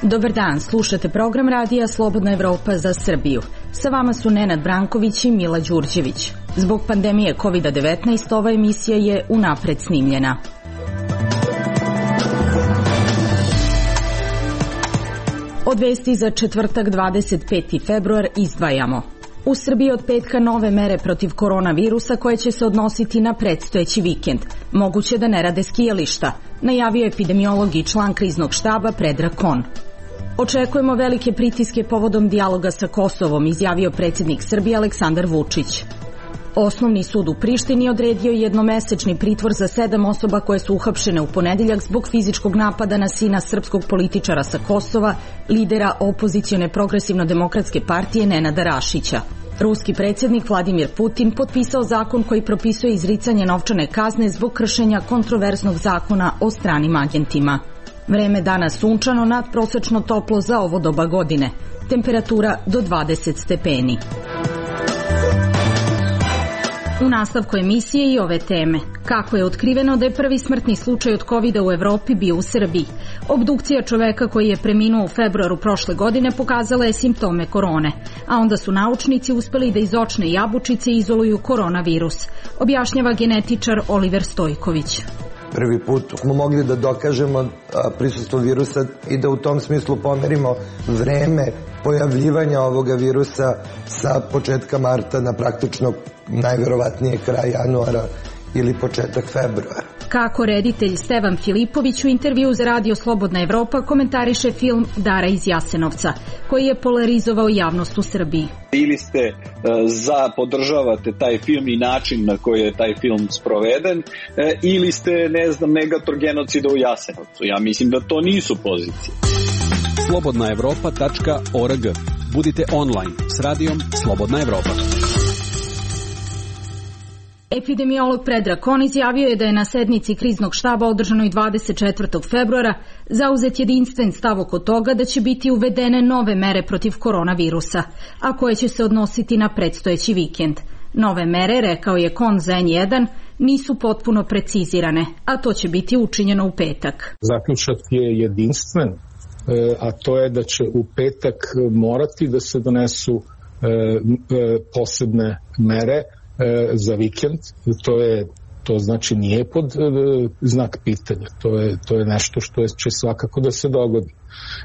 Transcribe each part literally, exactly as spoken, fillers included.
Dobar dan, slušate program radija Slobodna Evropa za Srbiju. Sa vama su Nenad Branković i Mila Đurđević. Zbog pandemije kovid devetnaest ova emisija je unapred snimljena. Od vesti za četvrtak dvadeset peti februar izdvajamo. U Srbiji od petka nove mere protiv koronavirusa koje će se odnositi na predstojeći vikend. Moguće da ne rade skijališta, najavio epidemiolog i član kriznog štaba Predrag Kon. Očekujemo velike pritiske povodom dijaloga sa Kosovom, izjavio predsjednik Srbije Aleksandar Vučić. Osnovni sud u Prištini odredio jednomesečni pritvor za sedam osoba koje su uhapšene u ponedeljak zbog fizičkog napada na sina srpskog političara sa Kosova, lidera opozicione progresivno-demokratske partije Nenada Rašića. Ruski predsjednik Vladimir Putin potpisao zakon koji propisuje izricanje novčane kazne zbog kršenja kontroverznog zakona o stranim agentima. Vreme danas sunčano, nadprosečno toplo za ovo doba godine. Temperatura do dvadeset stepeni. U nastavku emisije i ove teme. Kako je otkriveno da je prvi smrtni slučaj od kovida u Evropi bio u Srbiji? Obdukcija čoveka koji je preminuo u februaru prošle godine pokazala je simptome korone, a onda su naučnici uspeli da iz očne jabučice izoluju koronavirus, objašnjava genetičar Oliver Stojković. Prvi put smo mogli da dokažemo prisustvo virusa i da u tom smislu pomerimo vreme pojavljivanja ovoga virusa sa početka marta na praktično najverovatnije kraj januara ili početak februara. Kako reditelj Stevan Filipović u intervju za Radio Slobodna Evropa komentariše film Dara iz Jasenovca, koji je polarizovao javnost u Srbiji. Ili ste za, podržavate taj film i način na koji je taj film sproveden, ili ste, ne znam, negator genocida u Jasenovcu. Ja mislim da to nisu pozicije. slobodna evropa tačka org. Budite online s radijom Slobodna Evropa. Epidemiolog Predrag Kon izjavio je da je na sednici kriznog štaba održanoj dvadeset četvrtog februara zauzet jedinstven stav oko toga da će biti uvedene nove mere protiv koronavirusa, a koje će se odnositi na predstojeći vikend. Nove mere, rekao je Kon za en jedan, nisu potpuno precizirane, a to će biti učinjeno u petak. Zaključak je jedinstven, a to je da će u petak morati da se donesu posebne mere za vikend. To je to znači nije pod e, znak pitanja, to je, to je nešto što je, će svakako da se dogodi.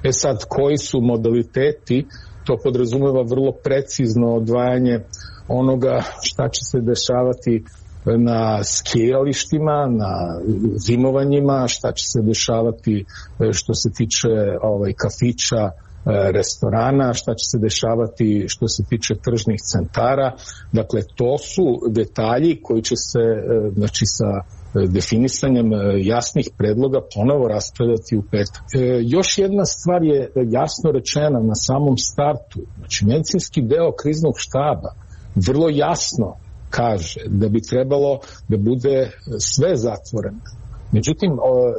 E sad, koji su modaliteti, to podrazumeva vrlo precizno odvajanje onoga šta će se dešavati na skijalištima, na zimovanjima, šta će se dešavati što se tiče ovaj, kafića, restorana, šta će se dešavati što se tiče tržnih centara. Dakle, to su detalji koji će se, znači, sa definisanjem jasnih predloga ponovo raspravljati u petak. E, još jedna stvar je jasno rečena na samom startu. Znači, medicinski deo kriznog štaba vrlo jasno kaže da bi trebalo da bude sve zatvoreno. Međutim,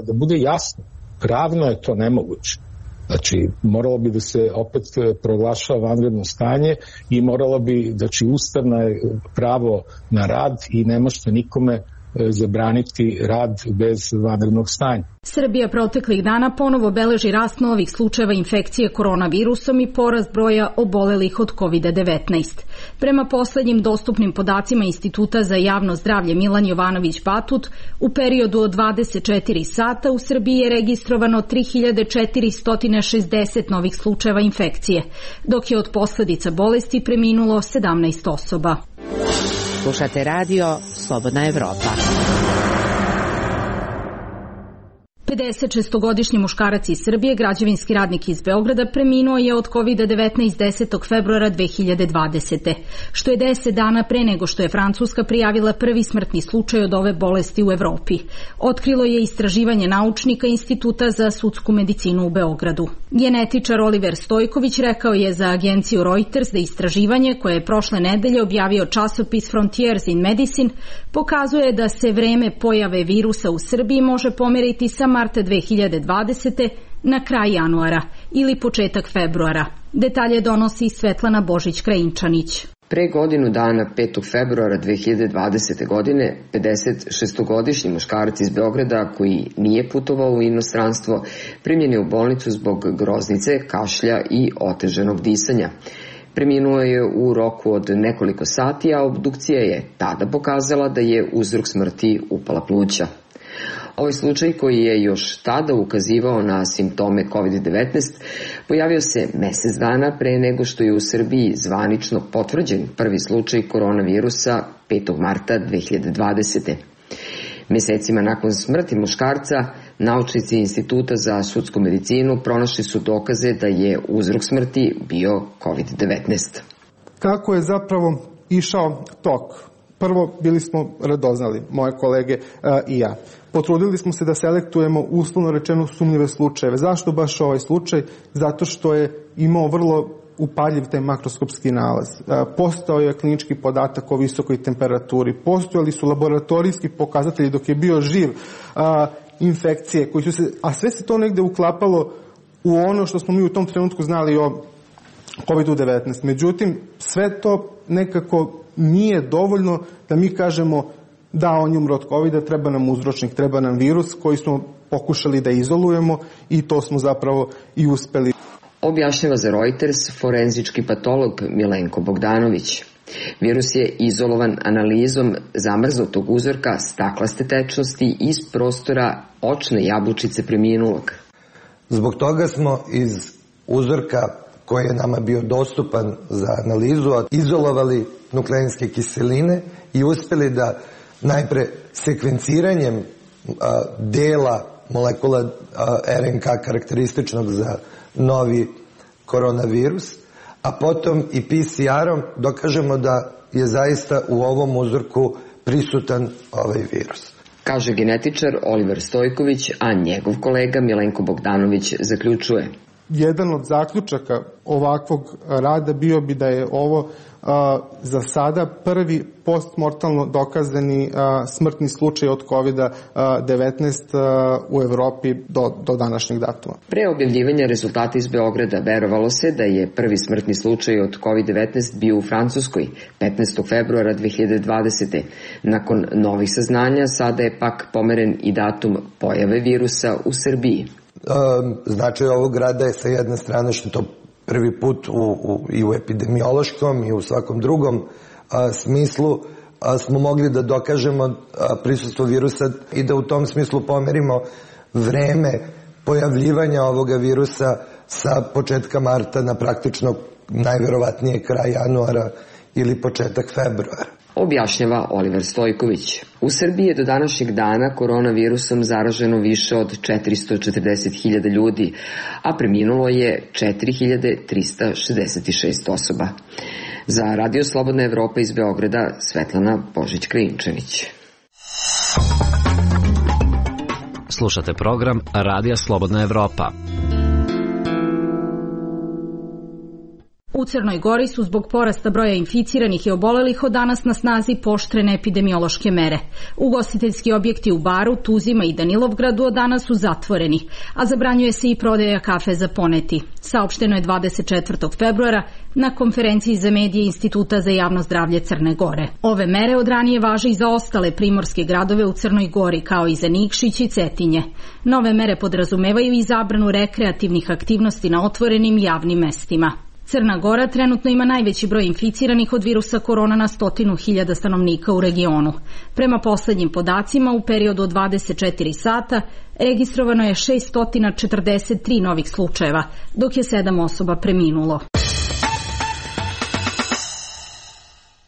da bude jasno, pravno je to nemoguće. Znači, moralo bi da se opet proglašava vanredno stanje i moralo bi, znači, ustavno je pravo na rad i ne možete nikome zabraniti rad bez vanrednog stanja. Srbija proteklih dana ponovo beleži rast novih slučajeva infekcije koronavirusom i porast broja obolelih od kovid devetnaest. Prema poslednjim dostupnim podacima Instituta za javno zdravlje Milan Jovanović Batut, u periodu od dvadeset četiri sata u Srbiji je registrovano tri hiljade četiristo šezdeset novih slučajeva infekcije, dok je od posledica bolesti preminulo sedamnaest osoba. Slušate radio Slobodna Evropa. pedesetšestogodišnji muškarac iz Srbije, građevinski radnik iz Beograda, preminuo je od kovid devetnaest desetog februara dve hiljade dvadesete. što je deset dana pre nego što je Francuska prijavila prvi smrtni slučaj od ove bolesti u Evropi. Otkrilo je istraživanje naučnika Instituta za sudsku medicinu u Beogradu. Genetičar Oliver Stojković rekao je za agenciju Reuters da istraživanje, koje je prošle nedelje objavio časopis Frontiers in Medicine, pokazuje da se vreme pojave virusa u Srbiji može pomeriti sa marta dve hiljade dvadesete na kraj januara ili početak februara. Detalje donosi Svetlana Božić-Krajinčanić. Pre godinu dana, petog februara dve hiljade dvadesete. godine, pedesetšestogodišnji muškarac iz Beograda koji nije putovao u inostranstvo primljen je u bolnicu zbog groznice, kašlja i oteženog disanja. Preminuo je u roku od nekoliko sati, a obdukcija je tada pokazala da je uzrok smrti upala pluća. Ovaj slučaj, koji je još tada ukazivao na simptome kovid devetnaest, pojavio se mesec dana pre nego što je u Srbiji zvanično potvrđen prvi slučaj koronavirusa petog marta dve hiljade dvadesete. Mesecima nakon smrti muškarca, naučnici Instituta za sudsku medicinu pronašli su dokaze da je uzrok smrti bio kovid devetnaest. Kako je zapravo išao tok? Prvo, bili smo radoznali, moje kolege a, i ja. Potrudili smo se da selektujemo uslovno rečeno sumnjive slučajeve. Zašto baš ovaj slučaj? Zato što je imao vrlo upaljiv taj makroskopski nalaz. Postao je klinički podatak o visokoj temperaturi. Postojali su laboratorijski pokazatelji dok je bio živ a, infekcije, koji su se, a sve se to negde uklapalo u ono što smo mi u tom trenutku znali o kovid devetnaest. Međutim, sve to nekako nije dovoljno da mi kažemo da on je umro od kovida, treba nam uzročnik, treba nam virus koji smo pokušali da izolujemo i to smo zapravo i uspeli. Objašnjava za Reuters forenzički patolog Milenko Bogdanović. Virus je izolovan analizom zamrznutog uzorka staklaste tečnosti iz prostora očne jabučice preminulog. Zbog toga smo iz uzorka koji je nama bio dostupan za analizu izolovali nukleinske kiseline i uspeli da najpre sekvenciranjem a, dela molekula a, er en ka karakterističnog za novi koronavirus, a potom i pe ce erom dokažemo da je zaista u ovom uzorku prisutan ovaj virus. Kaže genetičar Oliver Stojković, a njegov kolega Milenko Bogdanović zaključuje. Jedan od zaključaka ovakvog rada bio bi da je ovo a, za sada prvi postmortalno dokazani a, smrtni slučaj od kovid devetnaest a, u Evropi do, do današnjeg datuma. Pre objavljivanja rezultata iz Beograda verovalo se da je prvi smrtni slučaj od kovid devetnaest bio u Francuskoj petnaestog februara dve hiljade dvadesete. Nakon novih saznanja sada je pak pomeren i datum pojave virusa u Srbiji. Značaj ovog rada je sa jedne strane što to prvi put u, u, i u epidemiološkom i u svakom drugom a, smislu a, smo mogli da dokažemo a, prisustvo virusa i da u tom smislu pomerimo vreme pojavljivanja ovoga virusa sa početka marta na praktično najverovatnije kraj januara ili početak februara. Objašnjava Oliver Stojković. U Srbiji je do današnjeg dana koronavirusom zaraženo više od četiristo četrdeset hiljada ljudi, a preminulo je četiri hiljade trista šezdeset šest osoba. Za Radio Slobodna Evropa iz Beograda, Svetlana Božić-Krinčević. Slušate program Radija Slobodna Evropa. U Crnoj Gori su zbog porasta broja inficiranih i obolelih od danas na snazi pooštrene epidemiološke mere. Ugostiteljski objekti u Baru, Tuzima i Danilovgradu od danas su zatvoreni, a zabranjuje se i prodaja kafe za poneti. Saopšteno je dvadeset četvrtog februara na konferenciji za medije Instituta za javno zdravlje Crne Gore. Ove mere od ranije važe i za ostale primorske gradove u Crnoj Gori, kao i za Nikšić i Cetinje. Nove mere podrazumevaju i zabranu rekreativnih aktivnosti na otvorenim javnim mestima. Crna Gora trenutno ima najveći broj inficiranih od virusa korona na stotinu hiljada stanovnika u regionu. Prema poslednjim podacima, u periodu od dvadeset četiri sata registrovano je šesto četrdeset tri novih slučajeva, dok je sedam osoba preminulo.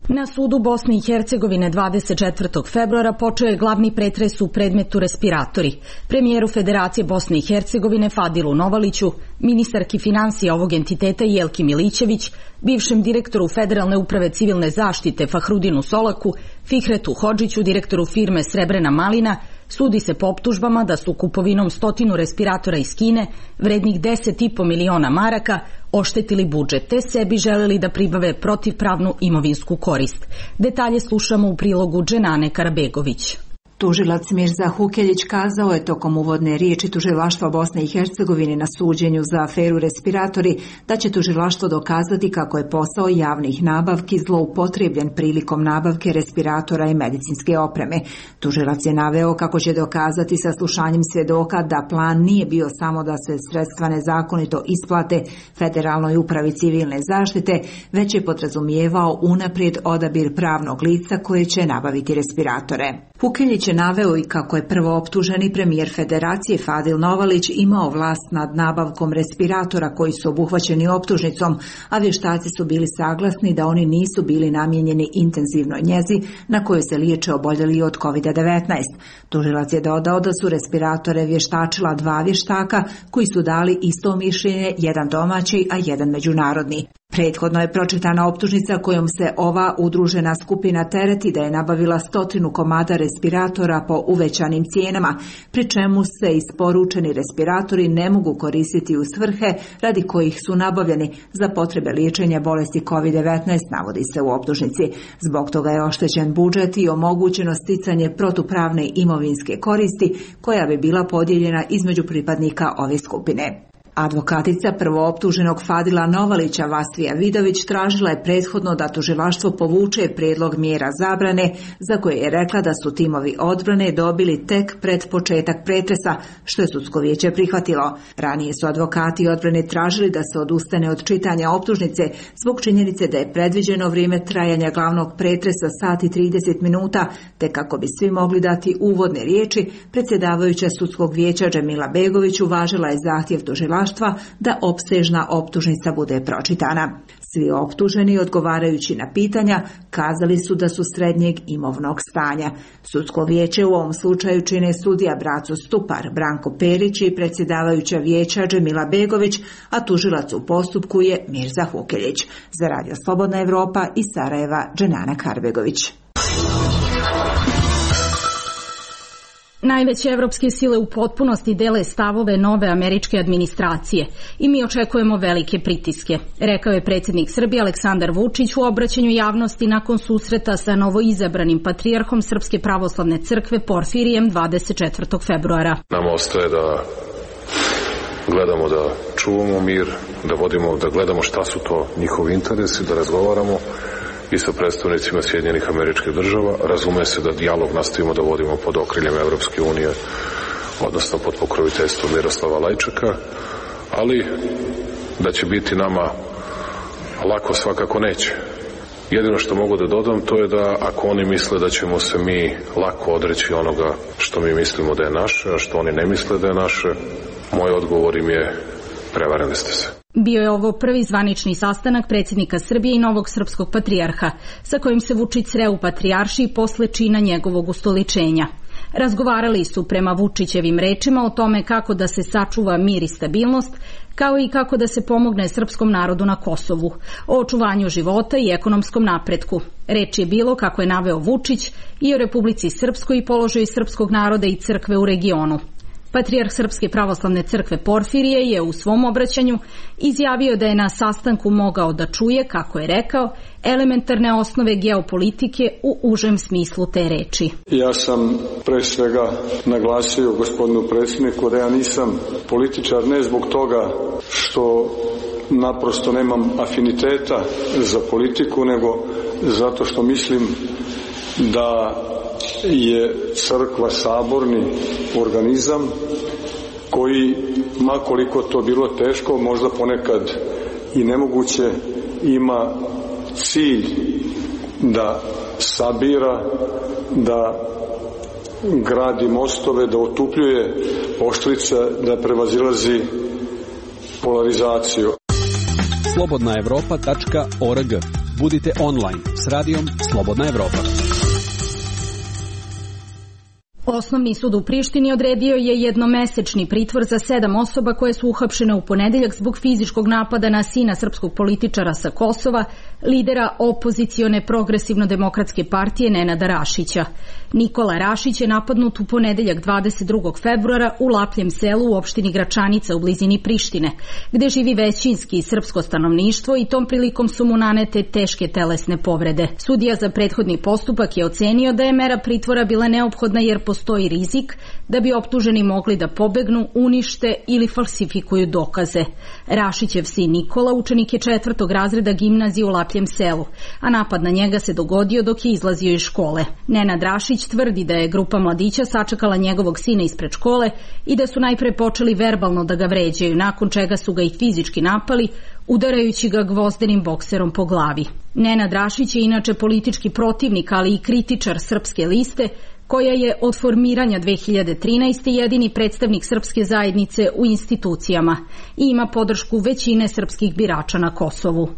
Na sudu Bosne i Hercegovine dvadeset četvrtog februara počeo je glavni pretres u predmetu respiratori. Premijeru Federacije Bosne i Hercegovine Fadilu Novaliću, ministarki finansija ovog entiteta Jelki Milićević, bivšem direktoru Federalne uprave civilne zaštite Fahrudinu Solaku, Fihretu Hodžiću, direktoru firme Srebrena Malina, sudi se po optužbama da su kupovinom stotinu respiratora iz Kine, vrednih deset i po miliona maraka, oštetili budžet, te sebi želeli da pribave protivpravnu imovinsku korist. Detalje slušamo u prilogu Dženane Karabegović. Tužilac Mirza Hukeljić kazao je tokom uvodne riječi Tužilaštva Bosne i Hercegovine na suđenju za aferu respiratori da će tužilaštvo dokazati kako je posao javnih nabavki zloupotrebljen prilikom nabavke respiratora i medicinske opreme. Tužilac je naveo kako će dokazati saslušanjem svjedoka da plan nije bio samo da se sredstva nezakonito isplate Federalnoj upravi civilne zaštite, već je podrazumijevao unaprijed odabir pravnog lica koje će nabaviti respiratore. Hukeljić je naveo i kako je prvo optuženi premijer Federacije Fadil Novalić imao vlast nad nabavkom respiratora koji su obuhvaćeni optužnicom, a vještaci su bili saglasni da oni nisu bili namijenjeni intenzivnoj njezi na kojoj se liječe oboljeli od kovid devetnaest. Tužilac je dodao da su respiratore vještačila dva vještaka koji su dali isto mišljenje, jedan domaći, a jedan međunarodni. Prethodno je pročitana optužnica kojom se ova udružena skupina tereti da je nabavila stotinu komada respiratora po uvećanim cijenama, pri čemu se isporučeni respiratori ne mogu koristiti u svrhe radi kojih su nabavljeni za potrebe liječenja bolesti kovid devetnaest, navodi se u optužnici. Zbog toga je oštećen budžet i omogućeno sticanje protupravne imovinske koristi koja bi bila podijeljena između pripadnika ove skupine. Advokatica prvooptuženog Fadila Novalića Vastvija Vidović tražila je prethodno da tužilaštvo povuče prijedlog mjera zabrane za koje je rekla da su timovi odbrane dobili tek pred početak pretresa, što je sudsko vijeće prihvatilo. Ranije su advokati odbrane tražili da se odustane od čitanja optužnice zbog činjenice da je predviđeno vrijeme trajanja glavnog pretresa sat i trideset minuta, te kako bi svi mogli dati uvodne riječi, predsjedavajuća sudskog vijeća Džemila Begović uvažila je zahtjev tužilaštva da opsežna optužnica bude pročitana. Svi optuženi, odgovarajući na pitanja, kazali su da su srednjeg imovnog stanja. Sudsko vijeće u ovom slučaju čine sudija Braco Stupar, Branko Perić i predsjedavajuća vijeća Džemila Begović, a tužilac u postupku je Mirza Hukeljić. Za Radio Slobodna Evropa iz Sarajeva, Dženana Karbegović. Najveće evropske sile u potpunosti dele stavove nove američke administracije i mi očekujemo velike pritiske, rekao je predsjednik Srbije Aleksandar Vučić u obraćanju javnosti nakon susreta sa novoizabranim patrijarhom Srpske pravoslavne crkve Porfirijem dvadeset četvrtog februara. Nam ostaje da gledamo da čuvamo mir, da vodimo, da gledamo šta su to njihovi interesi, da razgovaramo i sa predstavnicima Sjedinjenih Američkih Država. Razume se da dijalog nastavimo da vodimo pod okriljem Evropske unije, odnosno pod pokroviteljstvom Miroslava Lajčeka, ali da će biti nama lako svakako neće. Jedino što mogu da dodam to je da ako oni misle da ćemo se mi lako odreći onoga što mi mislimo da je naše, a što oni ne misle da je naše, moj odgovor im je prevarili ste se. Bio je ovo prvi zvanični sastanak predsjednika Srbije i novog srpskog patrijarha, sa kojim se Vučić sreo u patrijaršiji posle čina njegovog ustoličenja. Razgovarali su prema Vučićevim rečima o tome kako da se sačuva mir i stabilnost, kao i kako da se pomogne srpskom narodu na Kosovu, o očuvanju života i ekonomskom napretku. Reč je bilo, kako je naveo Vučić, i o Republici Srpskoj i položaju srpskog naroda i crkve u regionu. Patrijarh Srpske pravoslavne crkve Porfirije je u svom obraćanju izjavio da je na sastanku mogao da čuje, kako je rekao, elementarne osnove geopolitike u užem smislu te reči. Ja sam pre svega naglasio gospodinu predsjedniku da ja nisam političar ne zbog toga što naprosto nemam afiniteta za politiku, nego zato što mislim da je crkva saborni organizam koji, makoliko to bilo teško, možda ponekad i nemoguće, ima cilj da sabira, da gradi mostove, da otupljuje oštrice, da prevazilazi polarizaciju. slobodna evropa tačka org. Budite online s radijom Slobodna Evropa. Osnovni sud u Prištini odredio je jednomesečni pritvor za sedam osoba koje su uhapšene u ponedeljak zbog fizičkog napada na sina srpskog političara sa Kosova, lidera opozicione progresivno-demokratske partije Nenada Rašića. Nikola Rašić je napadnut u ponedeljak dvadeset drugog februara u Lapljem selu u opštini Gračanica u blizini Prištine, gde živi većinski srpsko stanovništvo i tom prilikom su mu nanete teške telesne povrede. Sudija za prethodni postupak je ocenio da je mera pritvora bila neophodna jer postoji rizik da bi optuženi mogli da pobegnu, unište ili falsifikuju dokaze. Rašićev sin Nikola učenik je četvrtog razreda gimnazije u Lapljem selu, a napad na njega se dogodio dok je izlazio iz škole. Nenad Rašić tvrdi da je grupa mladića sačekala njegovog sina ispred škole i da su najpre počeli verbalno da ga vređaju, nakon čega su ga i fizički napali, udarajući ga gvozdenim bokserom po glavi. Nenad Rašić je inače politički protivnik, ali i kritičar Srpske liste, koja je od formiranja dve hiljade trinaeste. jedini predstavnik srpske zajednice u institucijama i ima podršku većine srpskih birača na Kosovu.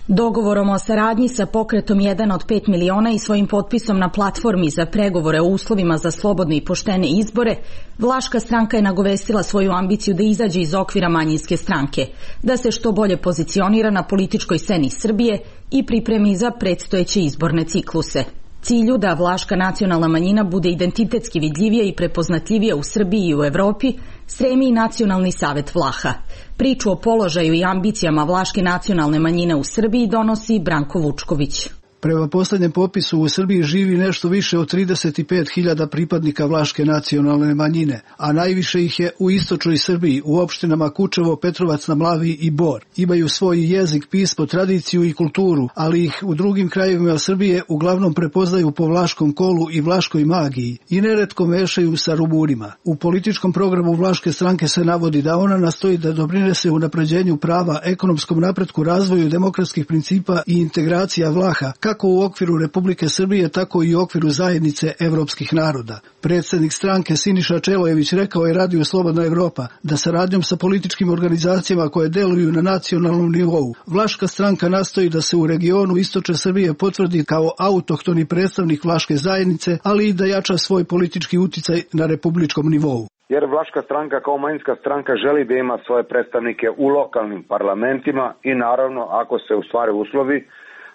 Dogovorom o saradnji sa pokretom jedan od pet miliona i svojim potpisom na platformi za pregovore o uslovima za slobodne i poštene izbore, Vlaška stranka je nagovestila svoju ambiciju da izađe iz okvira manjinske stranke, da se što bolje pozicionira na političkoj sceni Srbije i pripremi za predstojeće izborne cikluse. Cilju da vlaška nacionalna manjina bude identitetski vidljivija i prepoznatljivija u Srbiji i u Evropi stremi i Nacionalni savet Vlaha. Priču o položaju i ambicijama vlaške nacionalne manjine u Srbiji donosi Branko Vučković. Prema poslednjem popisu u Srbiji živi nešto više od trideset pet hiljada pripadnika vlaške nacionalne manjine, a najviše ih je u istočnoj Srbiji, u opštinama Kučevo, Petrovac na Mlavi i Bor. Imaju svoj jezik, pismo, tradiciju i kulturu, ali ih u drugim krajevima Srbije uglavnom prepoznaju po vlaškom kolu i vlaškoj magiji i neretko mešaju sa Rumunima. U političkom programu Vlaške stranke se navodi da ona nastoji da doprinese unapređenju prava, ekonomskom napretku, razvoju demokratskih principa i integracija Vlaha, kako u okviru Republike Srbije, tako i u okviru zajednice evropskih naroda. Predsjednik stranke Siniša Čelojević rekao je Radiju Slobodna Evropa da saradnjom sa političkim organizacijama koje deluju na nacionalnom nivou, Vlaška stranka nastoji da se u regionu istočne Srbije potvrdi kao autohtoni predstavnik vlaške zajednice, ali i da jača svoj politički uticaj na republičkom nivou. Jer Vlaška stranka kao manjinska stranka želi da ima svoje predstavnike u lokalnim parlamentima i naravno ako se ustvare uslovi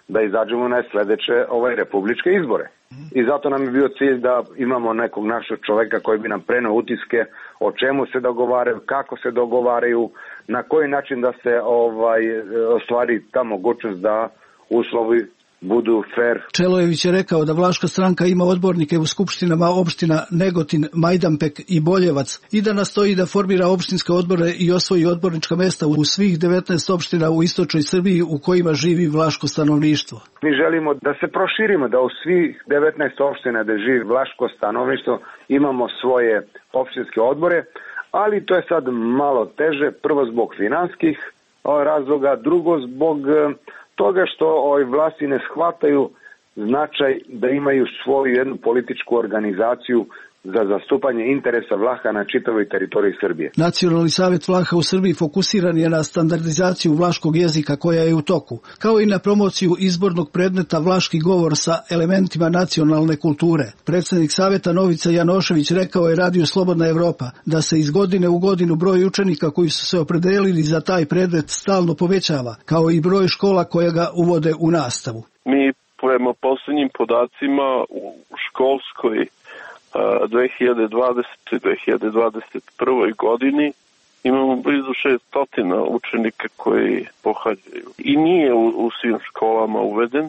da izađemo na sledeće ovaj republičke izbore. I zato nam je bio cilj da imamo nekog našeg čoveka koji bi nam preneo utiske o čemu se dogovaraju, kako se dogovaraju, na koji način da se ovaj ostvari ta mogućnost da uslovi budu fair. Čelojević je rekao da Vlaška stranka ima odbornike u skupštinama opština Negotin, Majdanpek i Boljevac i da nastoji da formira opštinske odbore i osvoji odbornička mesta u svih devetnaest opština u istočnoj Srbiji u kojima živi vlaško stanovništvo. Mi želimo da se proširimo, da u svih devetnaest opština da živi vlaško stanovništvo imamo svoje opštinske odbore, ali to je sad malo teže, prvo zbog finanskih razloga, drugo zbog toga što ovoj vlasti ne shvataju značaj da imaju svoju jednu političku organizaciju za zastupanje interesa Vlaha na čitavoj teritoriji Srbije. Nacionalni savet Vlaha u Srbiji fokusiran je na standardizaciju vlaškog jezika koja je u toku, kao i na promociju izbornog predmeta vlaški govor sa elementima nacionalne kulture. Predsjednik saveta Novica Janošević rekao je Radiju Slobodna Evropa da se iz godine u godinu broj učenika koji su se opredelili za taj predmet stalno povećava, kao i broj škola koje ga uvode u nastavu. Mi prema posljednjim podacima u školskoj dve hiljade dvadesete do dve hiljade dvadeset prve. godini imamo blizu šesnaest učenika koji pohađaju. I nije u, u svim školama uveden,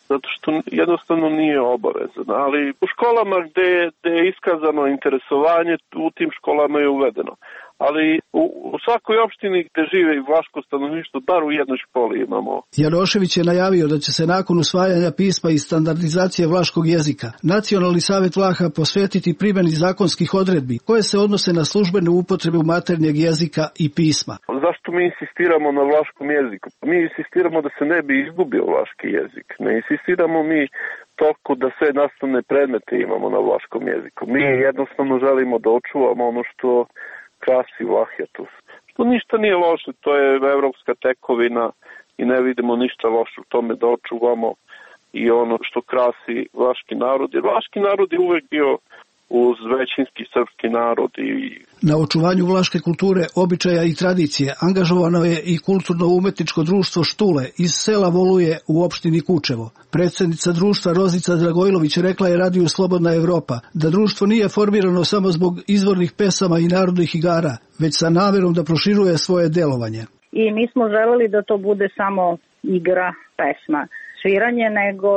zato što jednostavno nije obavezan. Ali u školama gde, gde je iskazano interesovanje, u tim školama je uvedeno. Ali u, u svakoj opštini gde žive i vlaško stanovništvo, bar u jednoj školi imamo. Janošević je najavio da će se nakon usvajanja pisma i standardizacije vlaškog jezika Nacionalni savet Vlaha posvetiti primjeni zakonskih odredbi koje se odnose na službenu upotrebu maternjeg jezika i pisma. Zašto mi insistiramo na vlaškom jeziku? Mi insistiramo da se ne bi izgubio vlaški jezik. Ne insistiramo mi toliko da sve nastavne predmete imamo na vlaškom jeziku. Mi jednostavno želimo da očuvamo ono što krasi Vlahetus. Što ništa nije loše, to je evropska tekovina i ne vidimo ništa loše u tome da očuvamo i ono što krasi vlaški narod. Jer vlaški narod je uvek bio uz većinski srpski narod. I... Na očuvanju vlaške kulture, običaja i tradicije angažovano je i kulturno-umetničko društvo Štule iz sela Voluje u opštini Kučevo. Predsjednica društva Rozica Dragojlović rekla je Radiju Slobodna Evropa da društvo nije formirano samo zbog izvornih pesama i narodnih igara, već sa namerom da proširuje svoje delovanje. I mi smo želeli da to bude samo igra, pesma, sviranje, nego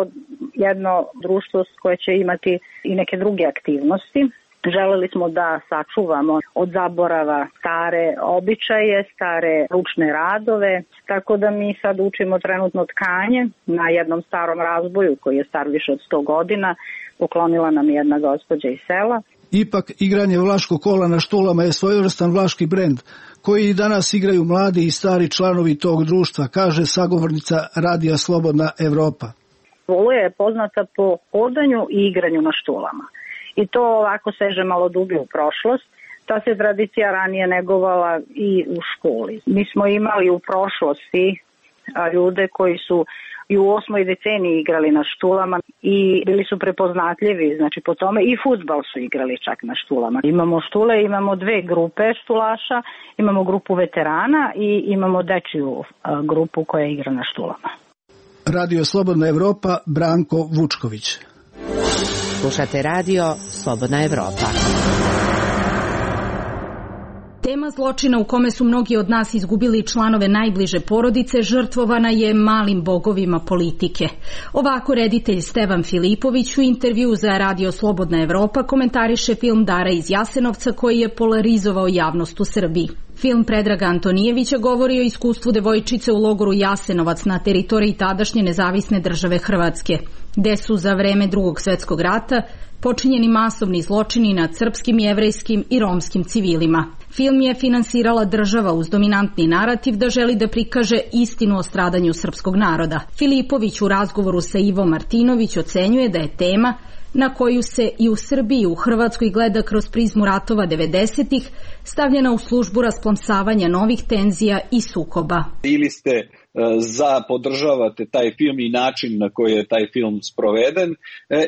jedno društvo koje će imati i neke druge aktivnosti. Želeli smo da sačuvamo od zaborava stare običaje, stare ručne radove, tako da mi sad učimo trenutno tkanje na jednom starom razboju koji je star više od sto godina. Poklonila nam jedna gospođa iz sela. Ipak, igranje vlaškog kola na Štulama je svojevrstan vlaški brend, koji i danas igraju mladi i stari članovi tog društva, kaže sagovornica Radija Slobodna Evropa. Voluje je poznata po hodanju i igranju na štulama. I to ovako seže malo dublje u prošlost. Ta se tradicija ranije negovala i u školi. Mi smo imali u prošlosti ljude koji su i u osmoj deceniji igrali na štulama i bili su prepoznatljivi, znači po tome i fudbal su igrali čak na štulama. Imamo štule, imamo dve grupe štulaša, imamo grupu veterana i imamo dečiju grupu koja igra na štulama. Radio Slobodna Evropa, Branko Vučković. Slušate Radio Slobodna Evropa. Tema zločina u kome su mnogi od nas izgubili članove najbliže porodice žrtvovana je malim bogovima politike. Ovako reditelj Stevan Filipović u intervju za Radio Slobodna Evropa komentariše film Dara iz Jasenovca koji je polarizovao javnost u Srbiji. Film Predraga Antonijevića govori o iskustvu devojčice u logoru Jasenovac na teritoriji tadašnje nezavisne države Hrvatske, gde su za vreme Drugog svetskog rata počinjeni masovni zločini nad srpskim, jevrejskim i romskim civilima. Film je finansirala država uz dominantni narativ da želi da prikaže istinu o stradanju srpskog naroda. Filipović u razgovoru sa Ivo Martinović ocenjuje da je tema na koju se i u Srbiji u Hrvatskoj gleda kroz prizmu ratova devedesetih, stavljena u službu rasplamsavanja novih tenzija i sukoba. Ili ste za podržavate taj film i način na koji je taj film sproveden,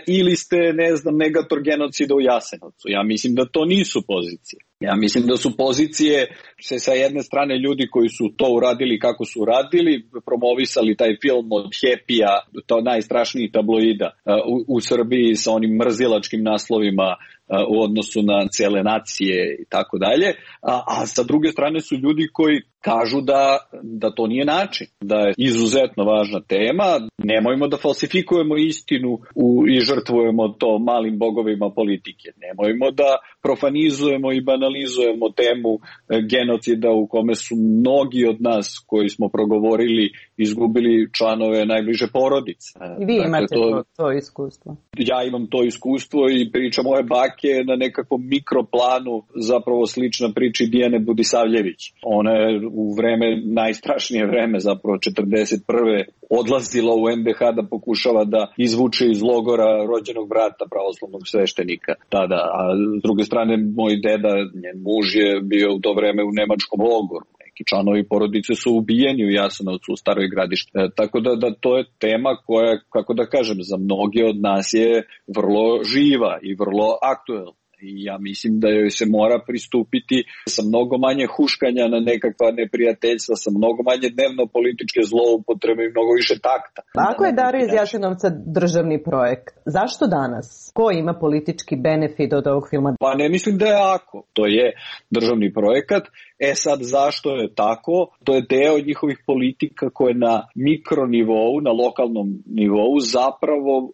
ili ste, ne znam, negator genocida u Jasenovcu. Ja mislim da to nisu pozicije. Ja mislim da su pozicije se sa jedne strane ljudi koji su to uradili kako su uradili, promovisali taj film od Happy-a, to najstrašnijih tabloida u, u Srbiji sa onim mrzilačkim naslovima u odnosu na cijele nacije i tako dalje, a, a sa druge strane su ljudi koji kažu da, da to nije način, da je izuzetno važna tema, nemojmo da falsifikujemo istinu u, i žrtvujemo to malim bogovima politike, nemojmo da profanizujemo i banalizujemo temu genocida u kome su mnogi od nas koji smo progovorili izgubili članove najbliže porodice. I vi dakle, imate to, to, to iskustvo. Ja imam to iskustvo i priča moje bake na nekakvom mikroplanu zapravo slična priči Dijane Budisavljević. Ona je u vreme, najstrašnije vreme, zapravo četrdeset prve odlazila u en de ha da pokušava da izvuče iz logora rođenog brata pravoslavnog sveštenika tada. A s druge strane, moj deda, njen muž je bio u to vreme u nemačkom logoru. Neki članovi porodice su ubijeni u Jasenovcu, u Staroj Gradišti. E, tako da, da to je tema koja, kako da kažem, za mnoge od nas je vrlo živa i vrlo aktuelna. I ja mislim da joj se mora pristupiti sa mnogo manje huškanja na nekakva neprijateljstva, sa mnogo manje dnevno političke zloupotrebe i mnogo više takta. Ako je Dara iz Jasenovca državni projekt, zašto danas? Ko ima politički benefit od ovog filma? Pa ne mislim da je ako. To je državni projekat. E sad, zašto je tako? To je deo njihovih politika koje na mikronivou, na lokalnom nivou zapravo uh,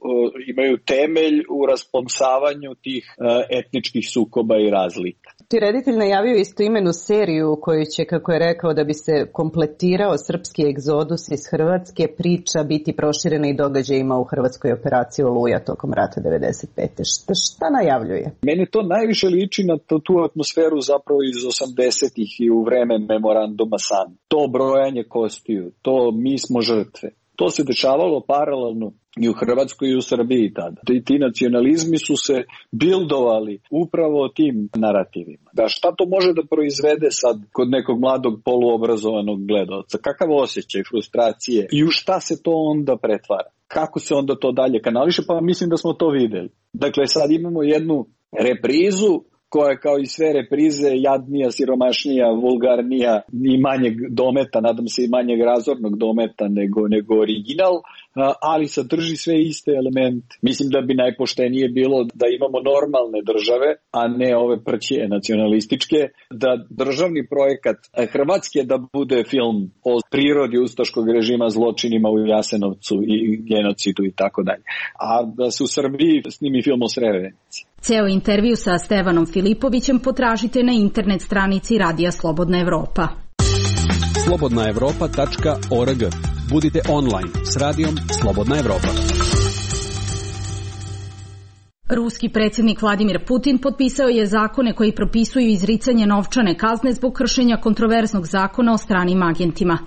imaju temelj u rasplamsavanju tih uh, etničkih sukoba i razlika. Ti reditelj najavio istoimenu seriju koju će, kako je rekao, da bi se kompletirao srpski egzodus iz Hrvatske, priča biti proširena i događajima u hrvatskoj operaciji Oluja tokom rata devedeset pete. Šta, šta najavljuje? Meni to najviše liči na tu, tu atmosferu zapravo iz osamdesetih i u vreme memoranduma San. To brojanje kostiju, to mi smo žrtve. To se dešavalo paralelno i u Hrvatskoj i u Srbiji tada. I ti nacionalizmi su se bildovali upravo tim narativima. Da šta to može da proizvede sad kod nekog mladog poluobrazovanog gledaoca? Kakav osjećaj frustracije i u šta se to onda pretvara? kako se onda to dalje kanališe, pa mislim da smo to videli. Dakle, sad imamo jednu reprizu koja je kao i sve reprize jadnija, siromašnija, vulgarnija i manjeg dometa, nadam se i manjeg razornog dometa nego, nego original, ali sadrži sve iste elemente. Mislim da bi najpoštenije bilo da imamo normalne države, a ne ove prćije nacionalističke, da državni projekat Hrvatske da bude film o prirodi ustaškog režima, zločinima u Jasenovcu i genocidu i tako dalje. A da se u Srbiji snimi film o Srebrenici. Ceo intervju sa Stevanom Filipovićem potražite na internet stranici Radija Slobodna Evropa. slobodna evropa tačka org. Budite online s radijom Slobodna Evropa. Ruski predsjednik Vladimir Putin potpisao je zakone koji propisuju izricanje novčane kazne zbog kršenja kontroverznog zakona o stranim agentima,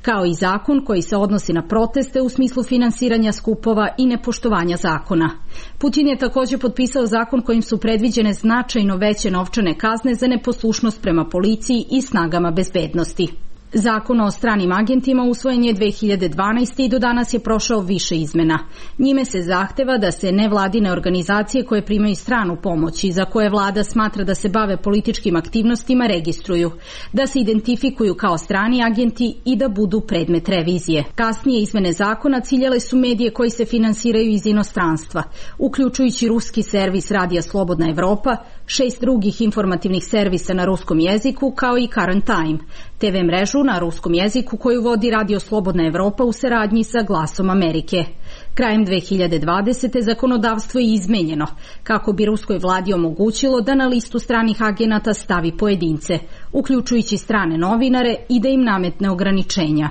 kao i zakon koji se odnosi na proteste u smislu finansiranja skupova i nepoštovanja zakona. Putin je također potpisao zakon kojim su predviđene značajno veće novčane kazne za neposlušnost prema policiji i snagama bezbednosti. Zakon o stranim agentima usvojen je dve hiljade dvanaeste. i do danas je prošao više izmena. Njime se zahteva da se nevladine organizacije koje primaju stranu pomoć i za koje vlada smatra da se bave političkim aktivnostima registruju, da se identifikuju kao strani agenti i da budu predmet revizije. Kasnije izmene zakona ciljale su medije koji se finansiraju iz inostranstva, uključujući ruski servis Radija Slobodna Evropa, šest drugih informativnih servisa na ruskom jeziku, kao i Current Time, te ve mrežu na ruskom jeziku koju vodi Radio Slobodna Evropa u saradnji sa Glasom Amerike. Krajem dve hiljade dvadesete. zakonodavstvo je izmenjeno kako bi ruskoj vladi omogućilo da na listu stranih agenata stavi pojedince, uključujući strane novinare, i da im nametne ograničenja.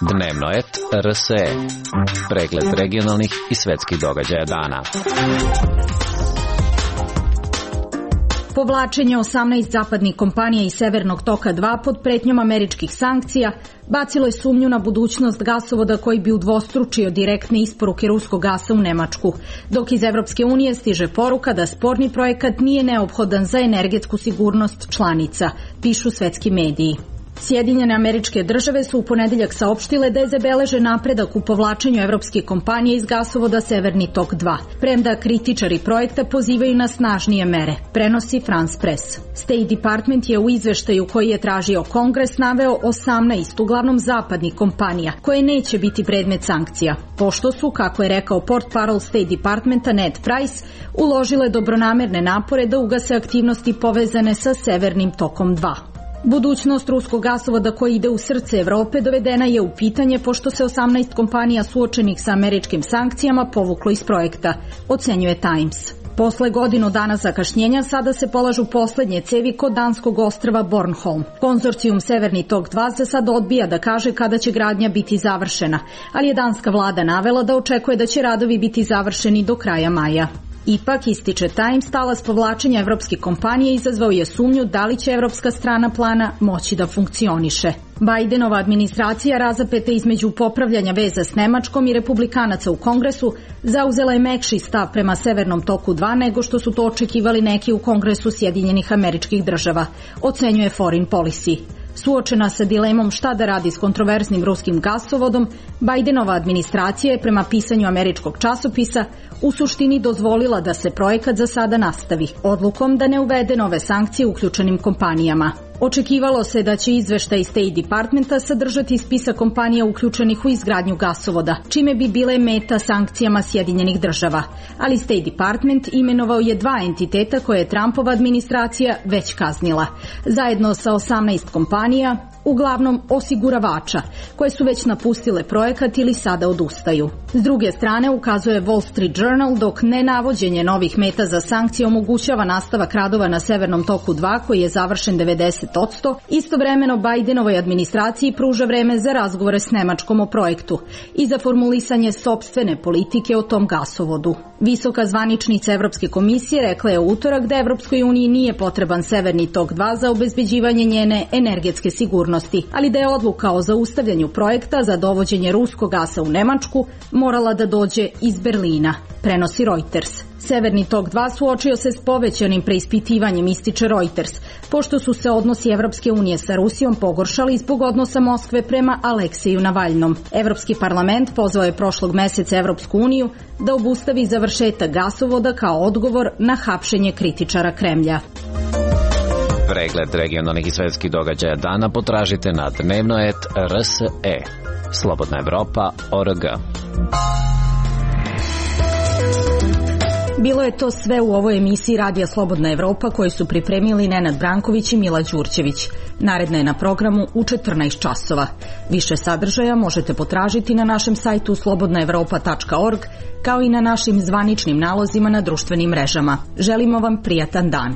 Dnevno et R S E. Pregled regionalnih i svetskih događaja dana. Povlačenje osamnaest zapadnih kompanija iz Severnog toka dva pod pretnjom američkih sankcija bacilo je sumnju na budućnost gasovoda koji bi udvostručio direktne isporuke ruskog gasa u Nemačku, dok iz Evropske unije stiže poruka da sporni projekat nije neophodan za energetsku sigurnost članica, pišu svetski mediji. Sjedinjene Američke Države su u ponedeljak saopštile da je zabeležen napredak u povlačenju evropskih kompanija iz gasovoda Severni tok dva, premda kritičari projekta pozivaju na snažnije mere, prenosi France Press. State Department je u izveštaju koji je tražio Kongres naveo osamnaest uglavnom zapadnih kompanija koje neće biti predmet sankcija, pošto su, kako je rekao portparol State Departmenta Ned Price, uložile dobronamerne napore da ugase aktivnosti povezane sa Severnim tokom dva. Budućnost ruskog gasovoda koji ide u srce Evrope dovedena je u pitanje pošto se osamnaest kompanija suočenih sa američkim sankcijama povuklo iz projekta, ocenjuje Times. Posle godinu dana zakašnjenja sada se polažu poslednje cevi kod danskog ostrva Bornholm. Konzorcijum Severni tok dva za sad odbija da kaže kada će gradnja biti završena, ali je danska vlada navela da očekuje da će radovi biti završeni do kraja maja. Ipak, ističe Times, talas povlačenja evropskih kompanija izazvao je sumnju da li će evropska strana plana moći da funkcioniše. Bidenova administracija, razapeta između popravljanja veza s Nemačkom i republikanaca u Kongresu, zauzela je mekši stav prema Severnom toku dva nego što su to očekivali neki u Kongresu Sjedinjenih Američkih Država, ocenjuje Foreign Policy. Suočena sa dilemom šta da radi s kontroverznim ruskim gasovodom, Bidenova administracija je prema pisanju američkog časopisa u suštini dozvolila da se projekat za sada nastavi, odlukom da ne uvede nove sankcije uključenim kompanijama. Očekivalo se da će izveštaj State Departmenta sadržati spisak kompanija uključenih u izgradnju gasovoda, čime bi bile meta sankcijama Sjedinjenih Država. Ali State Department imenovao je dva entiteta koje je Trumpova administracija već kaznila, zajedno sa osamnaest kompanija, uglavnom osiguravača, koje su već napustile projekat ili sada odustaju. S druge strane, ukazuje Wall Street Journal, dok nenavođenje novih meta za sankcije omogućava nastavak radova na Severnom toku dva, koji je završen devedeset posto, istovremeno Bidenovoj administraciji pruža vreme za razgovore s Nemačkom o projektu i za formulisanje sopstvene politike o tom gasovodu. Visoka zvaničnica Evropske komisije rekla je u utorak da Evropskoj uniji nije potreban Severni tok dva za obezbeđivanje njene energetske sigurnosti, ali da je odluka o zaustavljanju projekta za dovođenje ruskog gasa u Nemačku morala da dođe iz Berlina, prenosi Reuters. Severni tok dva suočio se s povećanim preispitivanjem, ističe Reuters, pošto su se odnosi Evropske unije sa Rusijom pogoršali zbog odnosa Moskve prema Alekseju Navalnom. Evropski parlament pozvao je prošlog meseca Evropsku uniju da obustavi završetak gasovoda kao odgovor na hapšenje kritičara Kremlja. Pregled regionalnih i svetskih događaja dana potražite na dnevnoet R S E. Slobodna Evropa O R G. Bilo je to sve u ovoj emisiji Radija Slobodna Evropa koju su pripremili Nenad Branković i Mila Đurđević. Naredna je na programu u četrnaest časova. Više sadržaja možete potražiti na našem sajtu slobodna evropa tačka org kao i na našim zvaničnim nalozima na društvenim mrežama. Želimo vam prijatan dan.